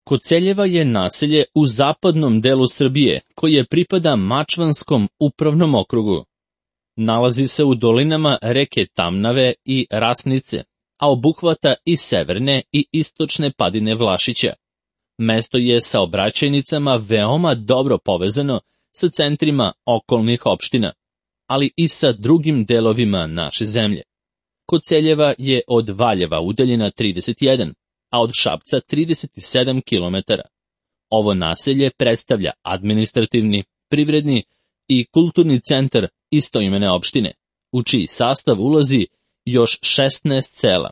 Koceljeva je naselje u zapadnom delu Srbije, koje pripada Mačvanskom upravnom okrugu. Nalazi se u dolinama reke Tamnave i Rasnice, a obuhvata i severne i istočne padine Vlašića. Mesto je saobraćajnicama veoma dobro povezano sa centrima okolnih opština, ali i sa drugim delovima naše zemlje. Koceljeva je od Valjeva udaljena 31, a od Šapca 37 km. Ovo naselje predstavlja administrativni, privredni i kulturni centar istoimene opštine, u čiji sastav ulazi još 16 sela: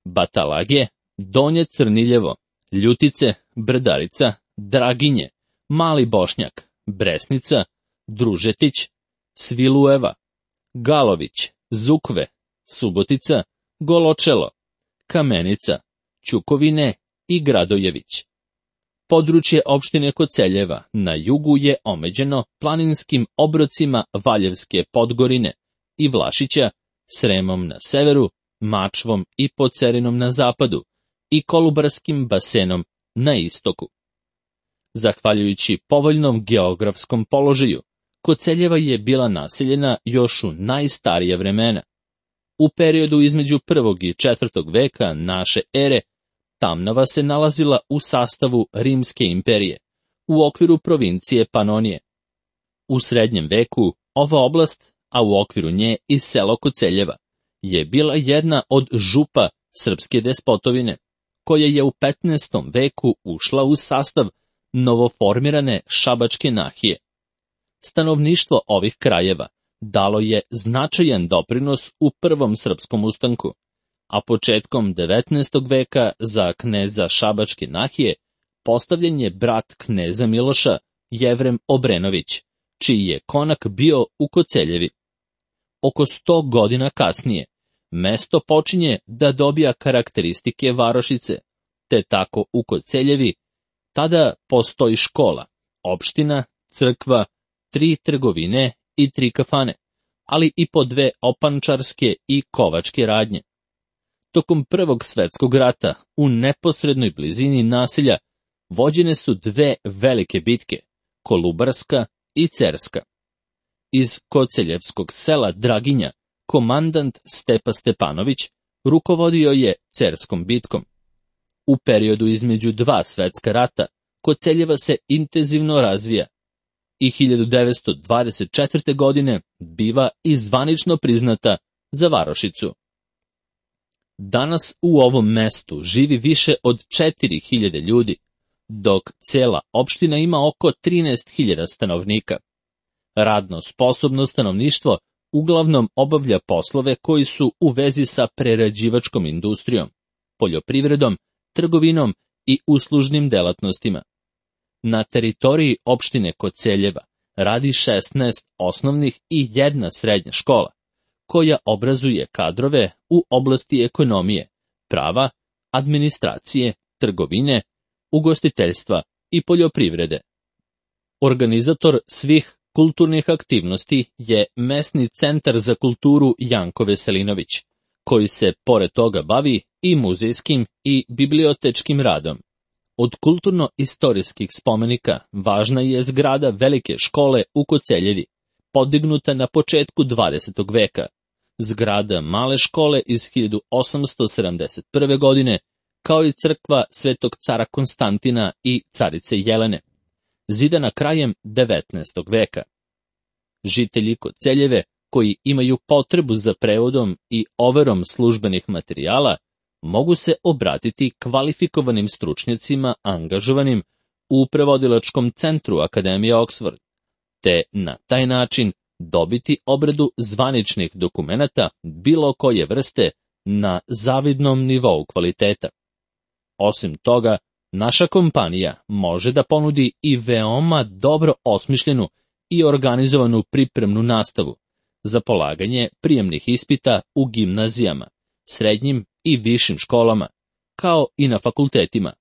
Batalage, Donje Crniljevo, Ljutice, Brdarica, Draginje, Mali Bošnjak, Bresnica, Družetić, Svilujeva, Galović, Zukve, Subotica, Goločelo, Kamenica, Ćukovine i Gradojević. Područje opštine Koceljeva na jugu je omeđeno planinskim obrocima Valjevske Podgorine i Vlašića, Sremom na severu, Mačvom i Pocerinom na zapadu i Kolubarskim basenom na istoku. Zahvaljujući povoljnom geografskom položaju, Koceljeva je bila naseljena još u najstarije vremena. U periodu između 1. i 4. veka naše ere, Tamnava se nalazila u sastavu Rimske imperije, u okviru provincije Panonije. U srednjem veku ova oblast, a u okviru nje i selo Koceljeva, je bila jedna od župa srpske despotovine, koja je u 15. veku ušla u sastav novoformirane Šabačke nahije. Stanovništvo ovih krajeva dalo je značajan doprinos u prvom srpskom ustanku, a početkom 19. veka za kneza Šabačke nahije postavljen je brat kneza Miloša, Jevrem Obrenović, čiji je konak bio u Koceljevi. Oko 100 godina kasnije, mesto počinje da dobija karakteristike varošice, te tako u Koceljevi tada postoji škola, opština, crkva, 3 trgovine i 3 kafane, ali i po 2 opančarske i kovačke radnje. Tokom Prvog svetskog rata u neposrednoj blizini naselja vođene su 2 velike bitke, Kolubarska i Cerska. Iz koceljevskog sela Draginja komandant Stepa Stepanović rukovodio je Cerskom bitkom. U periodu između 2 svetska rata Koceljeva se intenzivno razvija i 1924. godine biva i zvanično priznata za varošicu. Danas u ovom mestu živi više od 4000 ljudi, dok cela opština ima oko 13.000 stanovnika. Radno sposobno stanovništvo uglavnom obavlja poslove koji su u vezi sa prerađivačkom industrijom, poljoprivredom, trgovinom i uslužnim delatnostima. Na teritoriji opštine Koceljeva radi 16 osnovnih i 1 srednja škola, koja obrazuje kadrove u oblasti ekonomije, prava, administracije, trgovine, ugostiteljstva i poljoprivrede. Organizator svih kulturnih aktivnosti je mesni centar za kulturu Janko Veselinović, koji se pored toga bavi i muzejskim i bibliotečkim radom. Od kulturno-istorijskih spomenika važna je zgrada velike škole u Koceljevi, podignuta na početku 20. veka, zgrada male škole iz 1871. godine, kao i crkva Svetog cara Konstantina i carice Jelene, zidana krajem 19. veka. Žitelji Koceljeve, koji imaju potrebu za prevodom i overom službenih materijala, mogu se obratiti kvalifikovanim stručnjacima angažovanim u prevodilačkom centru Akademije Oxford, te na taj način dobiti obradu zvaničnih dokumenata bilo koje vrste na zavidnom nivou kvaliteta. Osim toga, naša kompanija može da ponudi i veoma dobro osmišljenu i organizovanu pripremnu nastavu za polaganje prijemnih ispita u gimnazijama, srednjim i višim školama, kao i na fakultetima,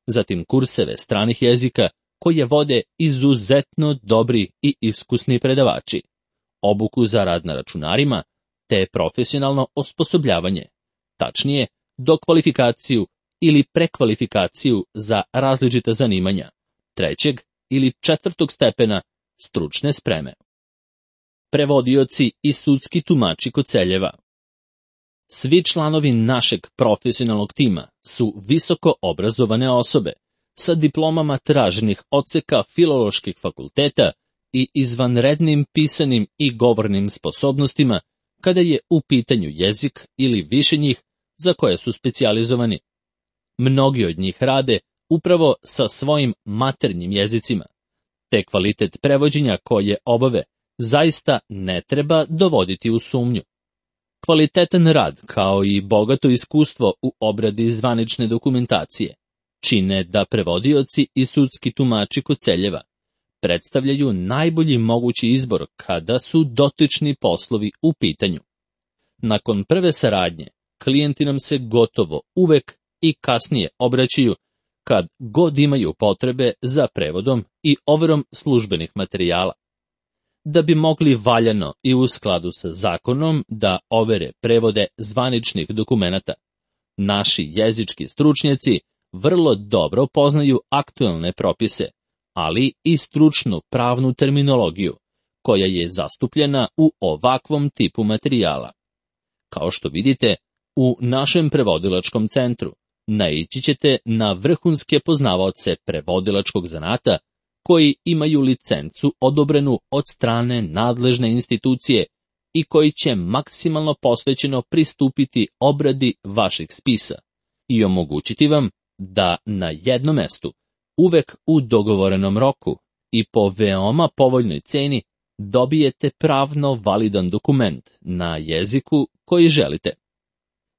zatim kurseve stranih jezika koje vode izuzetno dobri i iskusni predavači, obuku za rad na računarima, te profesionalno osposobljavanje, tačnije dokvalifikaciju ili prekvalifikaciju za različita zanimanja, 3. ili 4. stepena stručne spreme. Prevodioci i sudski tumači Koceljeva. Svi članovi našeg profesionalnog tima su visoko obrazovane osobe sa diplomama traženih odseka filoloških fakulteta i izvanrednim pisanim i govornim sposobnostima kada je u pitanju jezik ili više njih za koje su specijalizovani. Mnogi od njih rade upravo sa svojim maternjim jezicima, te kvalitet prevođenja koje obave zaista ne treba dovoditi u sumnju. Kvalitetan rad, kao i bogato iskustvo u obradi zvanične dokumentacije, čine da prevodioci i sudski tumači Koceljeva predstavljaju najbolji mogući izbor kada su dotični poslovi u pitanju. Nakon prve saradnje, klijenti nam se gotovo uvek i kasnije obraćaju kad god imaju potrebe za prevodom i overom službenih materijala. Da bi mogli valjano i u skladu sa zakonom da overe prevode zvaničnih dokumenata, naši jezički stručnjaci vrlo dobro poznaju aktuelne propise, ali i stručnu pravnu terminologiju, koja je zastupljena u ovakvom tipu materijala. Kao što vidite, u našem prevodilačkom centru naići ćete na vrhunske poznavaoce prevodilačkog zanata koji imaju licencu odobrenu od strane nadležne institucije i koji će maksimalno posvećeno pristupiti obradi vaših spisa i omogućiti vam da na jednom mestu, uvek u dogovorenom roku i po veoma povoljnoj ceni dobijete pravno validan dokument na jeziku koji želite.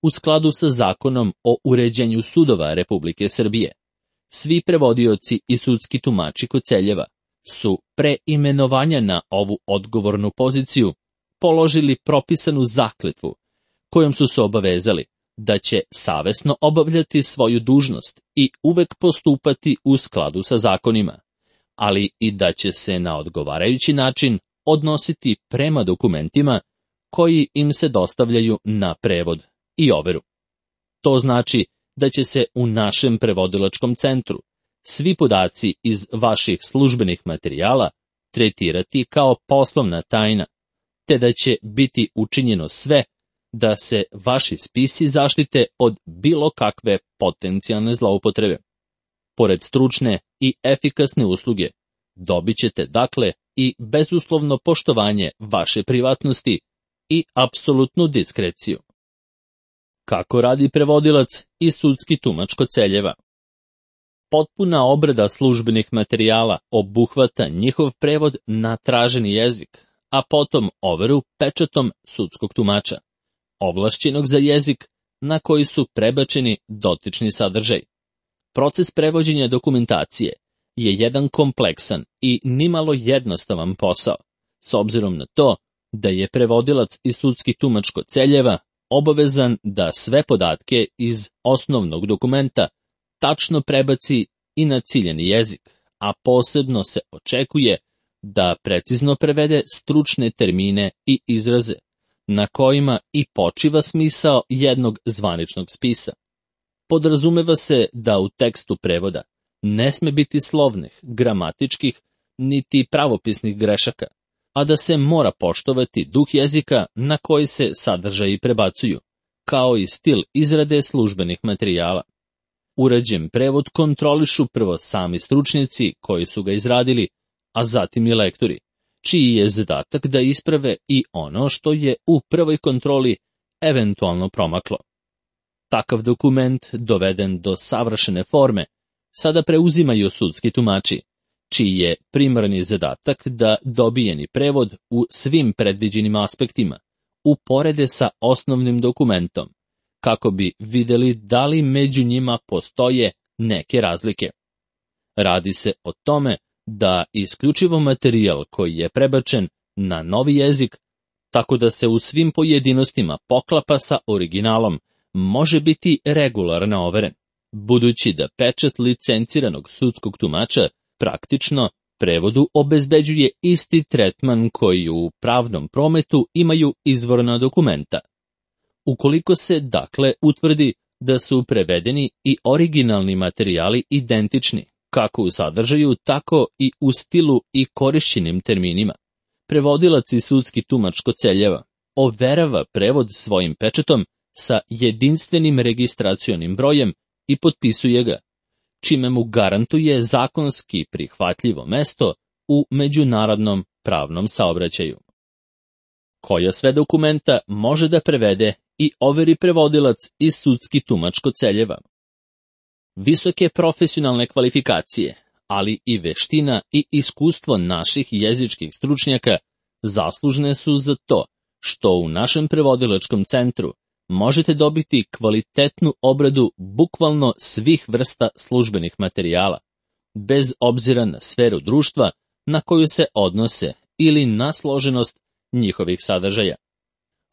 U skladu sa zakonom o uređenju sudova Republike Srbije, svi prevodioci i sudski tumači Koceljeva su pre imenovanja na ovu odgovornu poziciju položili propisanu zakletvu, kojom su se obavezali da će savesno obavljati svoju dužnost i uvek postupati u skladu sa zakonima, ali i da će se na odgovarajući način odnositi prema dokumentima koji im se dostavljaju na prevod i overu. To znači da će se u našem prevodilačkom centru svi podaci iz vaših službenih materijala tretirati kao poslovna tajna, te da će biti učinjeno sve da se vaši spisi zaštite od bilo kakve potencijalne zloupotrebe. Pored stručne i efikasne usluge, dobit ćete dakle i bezuslovno poštovanje vaše privatnosti i apsolutnu diskreciju. Kako radi prevodilac i sudski tumač Koceljeva? Potpuna obrada službenih materijala obuhvata njihov prevod na traženi jezik, a potom overu pečatom sudskog tumača, ovlašćenog za jezik na koji su prebačeni dotični sadržaj. Proces prevođenja dokumentacije je jedan kompleksan i nimalo jednostavan posao, s obzirom na to da je prevodilac i sudski tumač Koceljeva obavezan da sve podatke iz osnovnog dokumenta tačno prebaci i na ciljani jezik, a posebno se očekuje da precizno prevede stručne termine i izraze, na kojima i počiva smisao jednog zvaničnog spisa. Podrazumeva se da u tekstu prevoda ne sme biti slovnih, gramatičkih, niti pravopisnih grešaka, a da se mora poštovati duh jezika na koji se sadržaji prebacuju, kao i stil izrade službenih materijala. Urađen prevod kontrolišu prvo sami stručnjaci koji su ga izradili, a zatim i lektori, čiji je zadatak da isprave i ono što je u prvoj kontroli eventualno promaklo. Takav dokument, doveden do savršene forme, sada preuzimaju sudski tumači, čiji je primarni zadatak da dobijeni prevod u svim predviđenim aspektima uporede sa osnovnim dokumentom, kako bi videli da li među njima postoje neke razlike. Radi se o tome da isključivo materijal koji je prebačen na novi jezik, tako da se u svim pojedinostima poklapa sa originalom, može biti regularno overen, budući da pečat licenciranog sudskog tumača praktično prevodu obezbeđuje isti tretman koji u pravnom prometu imaju izvorna dokumenta. Ukoliko se, dakle, utvrdi da su prevedeni i originalni materijali identični, kako u sadržaju, tako i u stilu i korišćenim terminima. Prevodilac i sudski tumač Koceljeva overava prevod svojim pečatom sa jedinstvenim registracionim brojem i potpisuje ga, čime mu garantuje zakonski prihvatljivo mesto u međunarodnom pravnom saobraćaju. Koja sve dokumenta može da prevede i overi prevodilac i sudski tumač Koceljeva? Visoke profesionalne kvalifikacije, ali i veština i iskustvo naših jezičkih stručnjaka zaslužne su za to što u našem prevodilačkom centru možete dobiti kvalitetnu obradu bukvalno svih vrsta službenih materijala, bez obzira na sferu društva na koju se odnose ili na složenost njihovih sadržaja.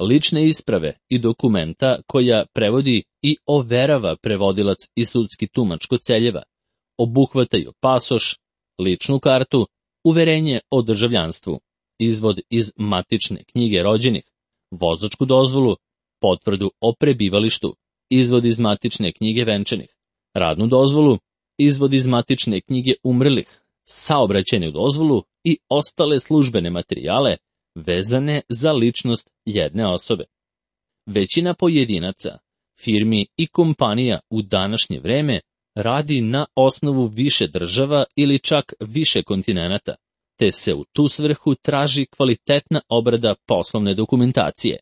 Lične isprave i dokumenta koja prevodi i overava prevodilac i sudski tumač Koceljeva obuhvataju pasoš, ličnu kartu, uverenje o državljanstvu, izvod iz matične knjige rođenih, vozačku dozvolu, potvrdu o prebivalištu, izvod iz matične knjige venčanih, radnu dozvolu, izvod iz matične knjige umrlih, saobraćajnu dozvolu i ostale službene materijale vezane za ličnost jedne osobe. Većina pojedinaca, firmi i kompanija u današnje vreme radi na osnovu više država ili čak više kontinenata, te se u tu svrhu traži kvalitetna obrada poslovne dokumentacije.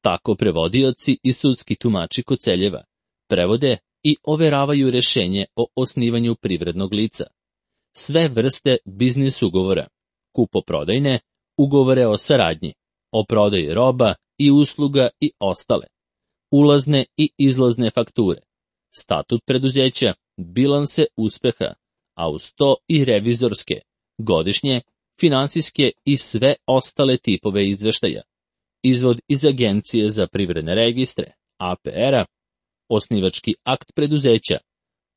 Tako prevodioci i sudski tumači Koceljeva prevode i overavaju rešenje o osnivanju privrednog lica, sve vrste biznis ugovora, kupoprodajne, ugovore o saradnji, o prodaji roba i usluga i ostale, ulazne i izlazne fakture, statut preduzeća, bilanse uspeha, a uz to i revizorske, godišnje, finansijske i sve ostale tipove izveštaja, izvod iz Agencije za privredne registre, APR-a, osnivački akt preduzeća,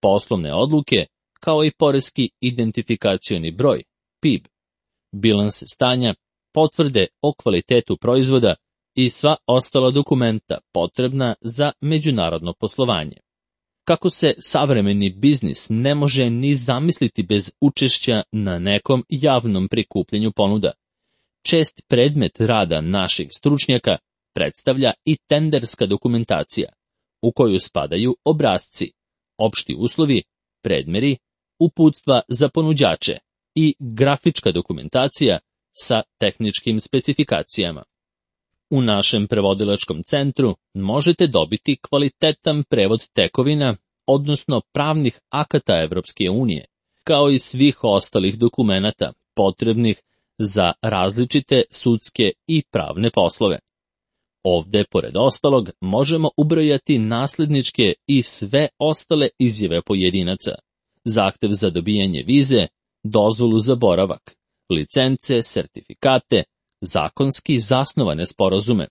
poslovne odluke, kao i poreski identifikacioni broj, PIB, bilans stanja, potvrde o kvalitetu proizvoda i sva ostala dokumenta potrebna za međunarodno poslovanje. Kako se savremeni biznis ne može ni zamisliti bez učešća na nekom javnom prikupljanju ponuda, čest predmet rada naših stručnjaka predstavlja i tenderska dokumentacija, u koju spadaju obrasci, opšti uslovi, predmeri, uputstva za ponuđače i grafička dokumentacija sa tehničkim specifikacijama. U našem prevodilačkom centru možete dobiti kvalitetan prevod tekovina, odnosno pravnih akata Evropske unije, kao i svih ostalih dokumenata potrebnih za različite sudske i pravne poslove. Ovde, pored ostalog, možemo ubrojati nasledničke i sve ostale izjave pojedinaca, zahtev za dobijanje vize, dozvolu za boravak, licence, sertifikate, zakonski zasnovane sporazume,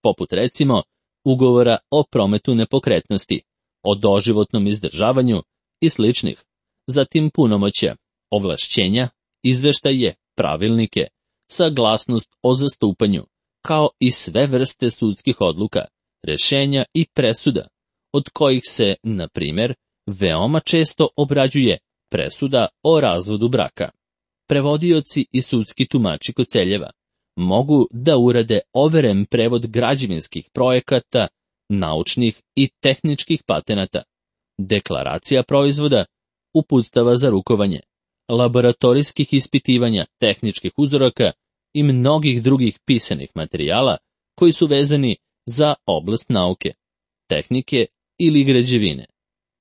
poput recimo ugovora o prometu nepokretnosti, o doživotnom izdržavanju i sličnih, zatim punomoćja, ovlašćenja, izveštaje, pravilnike, saglasnost o zastupanju, kao i sve vrste sudskih odluka, rešenja i presuda, od kojih se, na primjer, veoma često obrađuje presuda o razvodu braka. Prevodioci i sudski tumači Koceljeva mogu da urade overen prevod građevinskih projekata, naučnih i tehničkih patenata, deklaracija proizvoda, uputstava za rukovanje, laboratorijskih ispitivanja tehničkih uzoraka i mnogih drugih pisanih materijala koji su vezani za oblast nauke, tehnike ili građevine.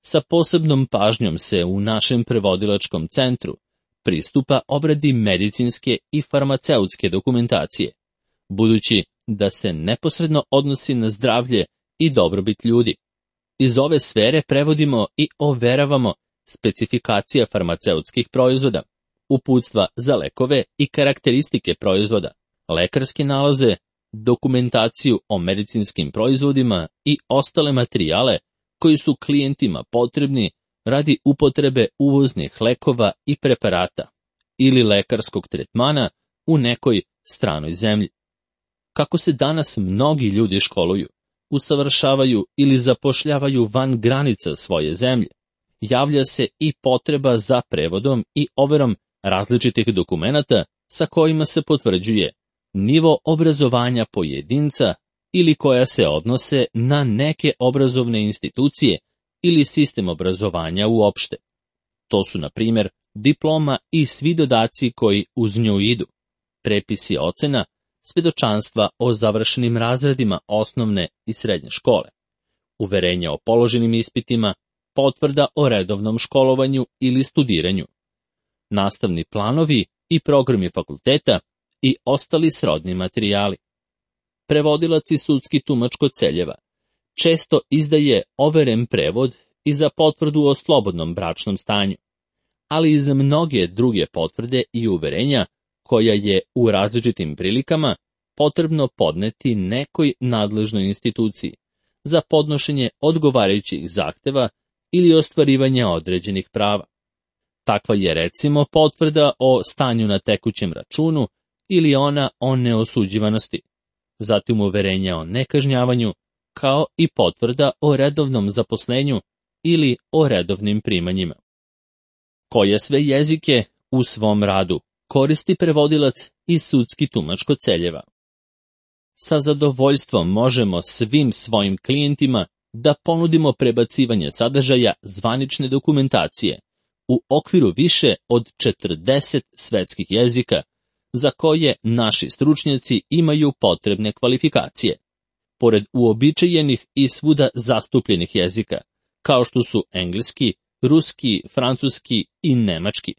Sa posebnom pažnjom se u našem prevodilačkom centru pristupa obradi medicinske i farmaceutske dokumentacije, budući da se neposredno odnosi na zdravlje i dobrobit ljudi. Iz ove sfere prevodimo i overavamo specifikacija farmaceutskih proizvoda, uputstva za lekove i karakteristike proizvoda, lekarske nalaze, dokumentaciju o medicinskim proizvodima i ostale materijale koji su klijentima potrebni radi upotrebe uvoznih lekova i preparata ili lekarskog tretmana u nekoj stranoj zemlji. Kako se danas mnogi ljudi školuju, usavršavaju ili zapošljavaju van granica svoje zemlje, javlja se i potreba za prevodom i overom različitih dokumenata sa kojima se potvrđuje nivo obrazovanja pojedinca ili koja se odnose na neke obrazovne institucije ili sistem obrazovanja uopšte. To su, na primjer, diploma i svi dodaci koji uz nju idu, prepisi ocena, svedočanstva o završenim razredima osnovne i srednje škole, uverenja o položenim ispitima, potvrda o redovnom školovanju ili studiranju, nastavni planovi i programi fakulteta i ostali srodni materijali. Prevodilac i sudski tumač kod Celjeva često izdaje overen prevod i za potvrdu o slobodnom bračnom stanju, ali i za mnoge druge potvrde i uverenja koja je u različitim prilikama potrebno podneti nekoj nadležnoj instituciji za podnošenje odgovarajućih zahteva ili ostvarivanje određenih prava. Takva je recimo potvrda o stanju na tekućem računu ili ona o neosuđivanosti, zatim uverenja o nekažnjavanju, kao i potvrda o redovnom zaposlenju ili o redovnim primanjima. Koje sve jezike u svom radu koristi prevodilac i sudski tumač kod Celjeva? Sa zadovoljstvom možemo svim svojim klijentima da ponudimo prebacivanje sadržaja zvanične dokumentacije u okviru više od 40 svetskih jezika, za koje naši stručnjaci imaju potrebne kvalifikacije. Pored uobičajenih i svuda zastupljenih jezika, kao što su engleski, ruski, francuski i nemački,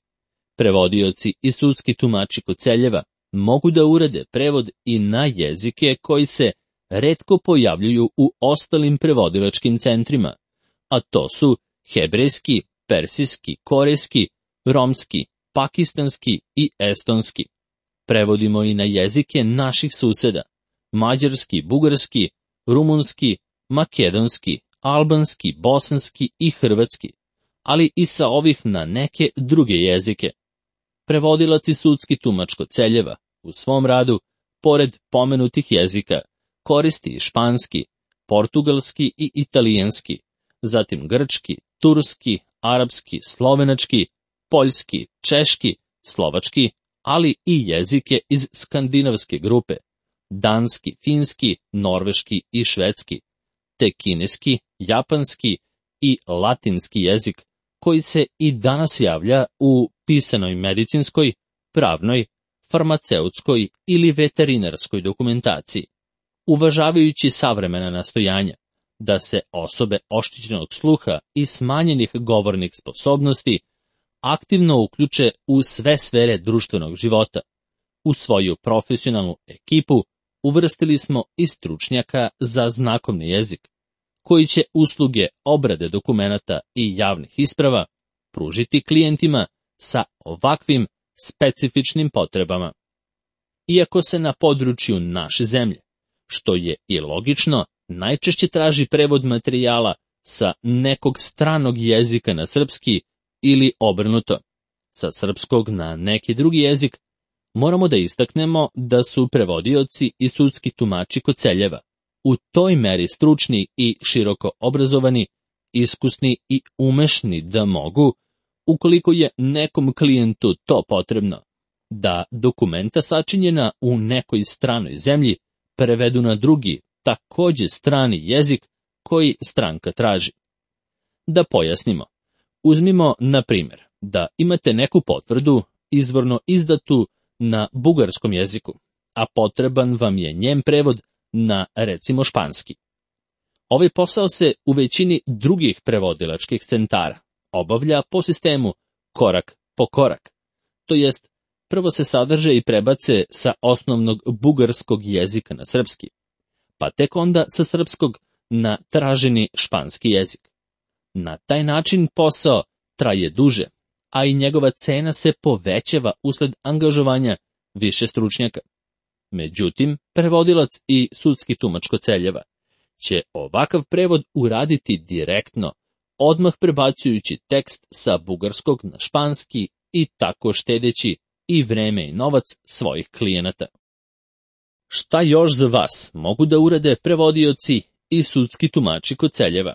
prevodioci i sudski tumači kod Celjeva mogu da urade prevod i na jezike koji se retko pojavljuju u ostalim prevodilačkim centrima, a to su hebrejski, persijski, korejski, romski, pakistanski i estonski. Prevodimo i na jezike naših suseda, mađarski, bugarski, rumunski, makedonski, albanski, bosanski i hrvatski, ali i sa ovih na neke druge jezike. Prevodilac i sudski tumač kod Celjeva u svom radu, pored pomenutih jezika, koristi i španski, portugalski i italijanski, zatim grčki, turski, arapski, slovenački, poljski, češki, slovački, ali i jezike iz skandinavske grupe, danski, finski, norveški i švedski, te kineski, japanski i latinski jezik, koji se i danas javlja u pisanoj medicinskoj, pravnoj, farmaceutskoj ili veterinarskoj dokumentaciji, uvažavajući savremena nastojanja da se osobe oštećenog sluha i smanjenih govornih sposobnosti aktivno uključe u sve sfere društvenog života. U svoju profesionalnu ekipu uvrstili smo i stručnjaka za znakovni jezik, koji će usluge obrade dokumenata i javnih isprava pružiti klijentima sa ovakvim specifičnim potrebama. Iako se na području naše zemlje, što je i logično, najčešće traži prevod materijala sa nekog stranog jezika na srpski ili obrnuto, sa srpskog na neki drugi jezik, moramo da istaknemo da su prevodioci i sudski tumači kod Celjeva u toj meri stručni i široko obrazovani, iskusni i umešni da mogu, ukoliko je nekom klijentu to potrebno, da dokumenta sačinjena u nekoj stranoj zemlji prevedu na drugi, takođe strani jezik koji stranka traži. Da pojasnimo, uzmimo na primjer da imate neku potvrdu izvorno izdatu na bugarskom jeziku, a potreban vam je njen prevod na, recimo, španski. Ovaj posao se u većini drugih prevodilačkih centara obavlja po sistemu korak po korak, to jest prvo se sadrže i prebace sa osnovnog bugarskog jezika na srpski, pa tek onda sa srpskog na traženi španski jezik. Na taj način posao traje duže, a i njegova cena se povećava usled angažovanja više stručnjaka. Međutim, prevodilac i sudski tumač kod Celjeva će ovakav prevod uraditi direktno, odmah prebacujući tekst sa bugarskog na španski i tako štedeći i vreme i novac svojih klijenata. Šta još za vas mogu da urade prevodioci i sudski tumači Koceljeva.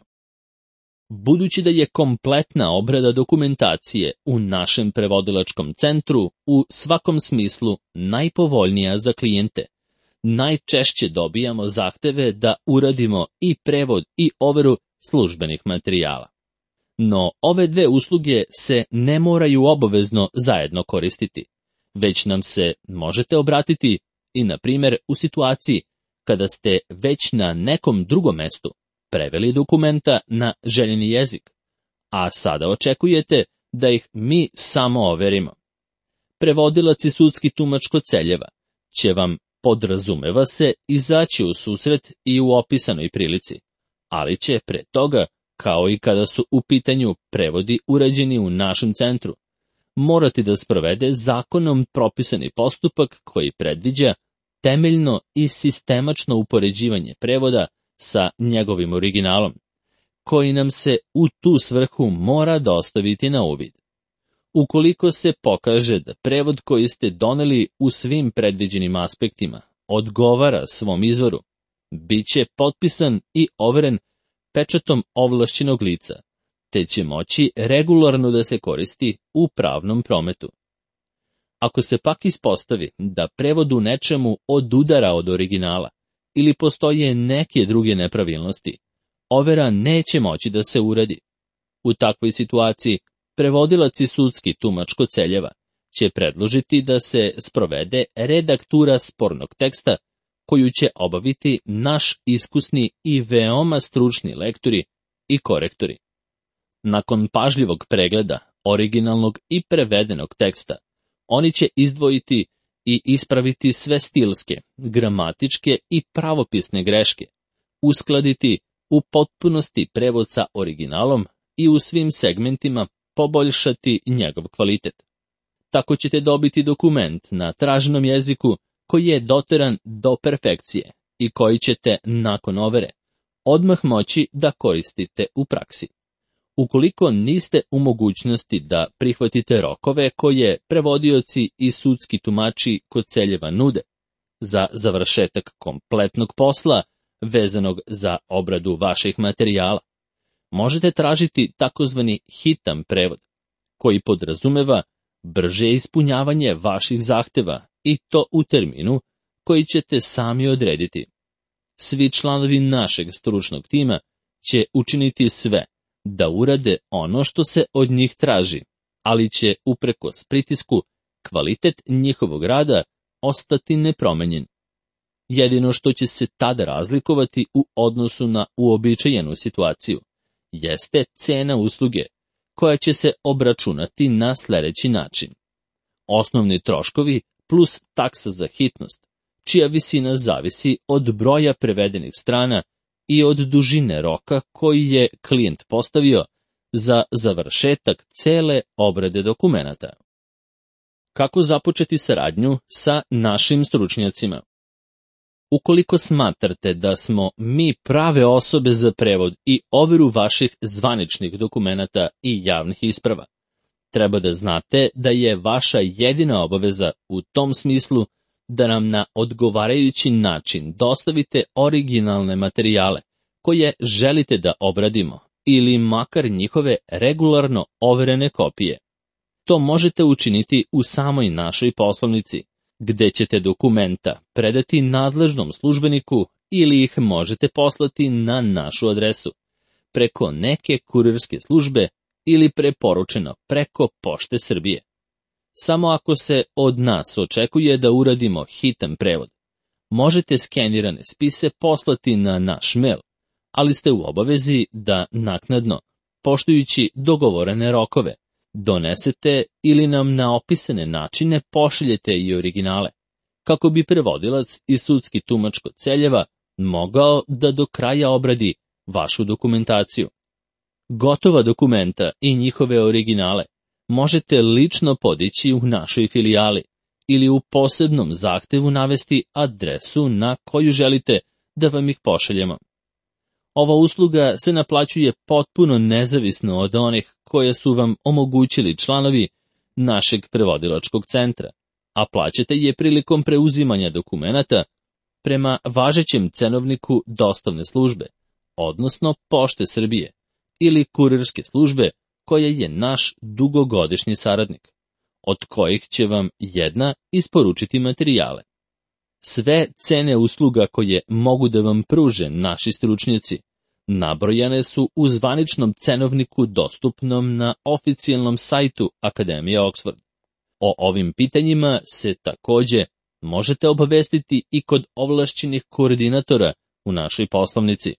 Budući da je kompletna obrada dokumentacije u našem prevodilačkom centru u svakom smislu najpovoljnija za klijente, najčešće dobijamo zahteve da uradimo i prevod i overu službenih materijala. No, ove dve usluge se ne moraju obavezno zajedno koristiti, već nam se možete obratiti i, na primjer, u situaciji kada ste već na nekom drugom mestu preveli dokumenta na željeni jezik, a sada očekujete da ih mi samo overimo. Prevodilac i sudski tumač Koceljeva će vam, podrazumeva se, izaći u susret i u opisanoj prilici, ali će pre toga, kao i kada su u pitanju prevodi urađeni u našem centru, morati da sprovede zakonom propisani postupak koji predviđa temeljno i sistemačno upoređivanje prevoda sa njegovim originalom, koji nam se u tu svrhu mora dostaviti na uvid. Ukoliko se pokaže da prevod koji ste doneli u svim predviđenim aspektima odgovara svom izvoru, bit će potpisan i overen pečatom ovlašćenog lica, te će moći regularno da se koristi u pravnom prometu. Ako se pak ispostavi da prevod u nečemu odudara od originala ili postoje neke druge nepravilnosti, overa neće moći da se uradi. U takvoj situaciji prevodilac i sudski tumač Koceljeva će predložiti da se sprovede redaktura spornog teksta koju će obaviti naš iskusni i veoma stručni lektori i korektori. Nakon pažljivog pregleda originalnog i prevedenog teksta, oni će izdvojiti i ispraviti sve stilske, gramatičke i pravopisne greške, uskladiti u potpunosti prevod sa originalom i u svim segmentima poboljšati njegov kvalitet. Tako ćete dobiti dokument na traženom jeziku koji je doteran do perfekcije i koji ćete, nakon overe, odmah moći da koristite u praksi. Ukoliko niste u mogućnosti da prihvatite rokove koje prevodioci i sudski tumači Koceljeva nude za završetak kompletnog posla vezanog za obradu vaših materijala, možete tražiti takozvani hitan prevod, koji podrazumeva brže ispunjavanje vaših zahteva i to u terminu koji ćete sami odrediti. Svi članovi našeg stručnog tima će učiniti sve da urade ono što se od njih traži, ali će uprkos pritisku kvalitet njihovog rada ostati nepromenjen. Jedino što će se tada razlikovati u odnosu na uobičajenu situaciju jeste cena usluge, koja će se obračunati na sljedeći način. Osnovni troškovi plus taksa za hitnost, čija visina zavisi od broja prevedenih strana i od dužine roka koji je klijent postavio za završetak cele obrade dokumenata. Kako započeti saradnju sa našim stručnjacima? Ukoliko smatrate da smo mi prave osobe za prevod i overu vaših zvaničnih dokumenata i javnih isprava, treba da znate da je vaša jedina obaveza u tom smislu da nam na odgovarajući način dostavite originalne materijale koje želite da obradimo ili makar njihove regularno overene kopije. To možete učiniti u samoj našoj poslovnici, gde ćete dokumenta predati nadležnom službeniku ili ih možete poslati na našu adresu, preko neke kurirske službe ili preporučeno preko Pošte Srbije. Samo ako se od nas očekuje da uradimo hitan prevod, možete skenirane spise poslati na naš mail, ali ste u obavezi da naknadno, poštujući dogovorene rokove, donesete ili nam na opisane načine pošaljete i originale, kako bi prevodilac i sudski tumač Koceljeva mogao da do kraja obradi vašu dokumentaciju. Gotova dokumenta i njihove originale možete lično podići u našoj filijali ili u posebnom zahtevu navesti adresu na koju želite da vam ih pošaljemo. Ova usluga se naplaćuje potpuno nezavisno od onih koje su vam omogućili članovi našeg prevodilačkog centra, a plaćate je prilikom preuzimanja dokumenata prema važećem cenovniku dostavne službe, odnosno Pošte Srbije, ili kurirske službe koja je naš dugogodišnji saradnik, od kojih će vam jedna isporučiti materijale. Sve cene usluga koje mogu da vam pruže naši stručnjaci nabrojane su u zvaničnom cenovniku dostupnom na oficijalnom sajtu Akademije Oxford. O ovim pitanjima se takođe možete obavestiti i kod ovlašćenih koordinatora u našoj poslovnici.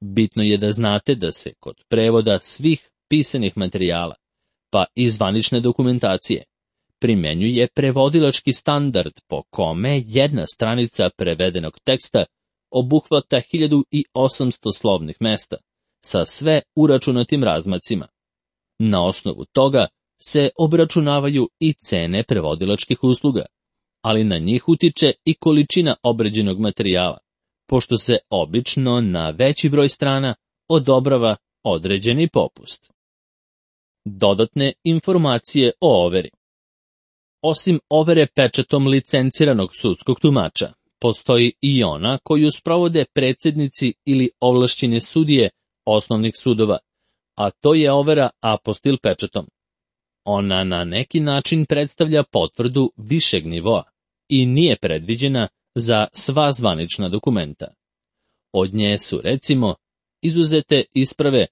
Bitno je da znate da se kod prevoda svih pisanih materijala, pa i zvanične dokumentacije, primenjuje prevodilački standard po kome jedna stranica prevedenog teksta obuhvata 1800 slovnih mesta, sa sve uračunatim razmacima. Na osnovu toga se obračunavaju i cene prevodilačkih usluga, ali na njih utiče i količina obrađenog materijala, pošto se obično na veći broj strana odobrava određeni popust. Dodatne informacije o overi. Osim overe pečatom licenciranog sudskog tumača, postoji i ona koju sprovode predsjednici ili ovlašćene sudije osnovnih sudova, a to je overa apostil pečatom. Ona na neki način predstavlja potvrdu višeg nivoa i nije predviđena za sva zvanična dokumenta. Od nje su, recimo, izuzete isprave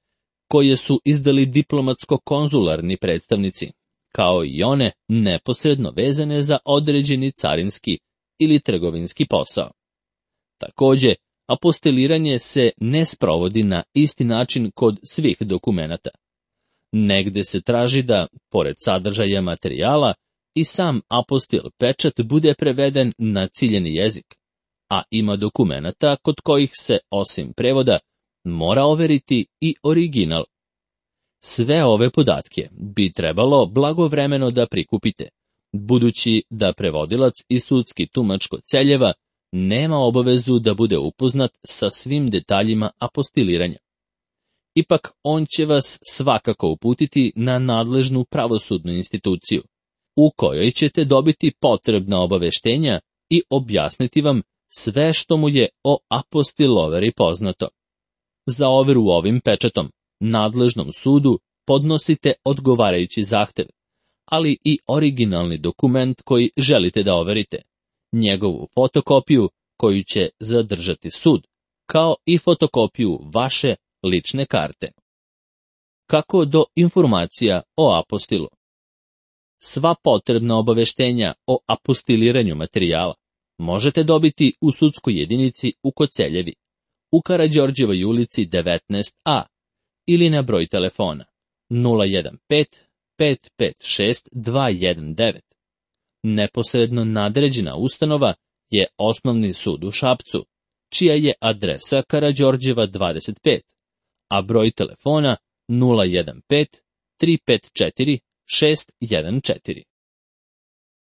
koje su izdali diplomatsko-konzularni predstavnici, kao i one neposredno vezane za određeni carinski ili trgovinski posao. Takođe, apostiliranje se ne sprovodi na isti način kod svih dokumenata. Negde se traži da, pored sadržaja materijala, i sam apostil pečat bude preveden na ciljeni jezik, a ima dokumenata kod kojih se, osim prevoda, mora overiti i original. Sve ove podatke bi trebalo blagovremeno da prikupite, budući da prevodilac i sudski tumač kod Celjeva nema obavezu da bude upoznat sa svim detaljima apostiliranja. Ipak on će vas svakako uputiti na nadležnu pravosudnu instituciju, u kojoj ćete dobiti potrebna obaveštenja i objasniti vam sve što mu je o apostiloveri poznato. Za overu ovim pečatom nadležnom sudu podnosite odgovarajući zahtev, ali i originalni dokument koji želite da overite, njegovu fotokopiju koju će zadržati sud, kao i fotokopiju vaše lične karte. Kako do informacija o apostilu? Sva potrebna obaveštenja o apostiliranju materijala možete dobiti u sudskoj jedinici u Koceljevi, u Karađorđevoj ulici 19A, ili na broj telefona 015-556-219. Neposredno nadređena ustanova je Osnovni sud u Šapcu, čija je adresa Karađorđeva 25, a broj telefona 015-354-614.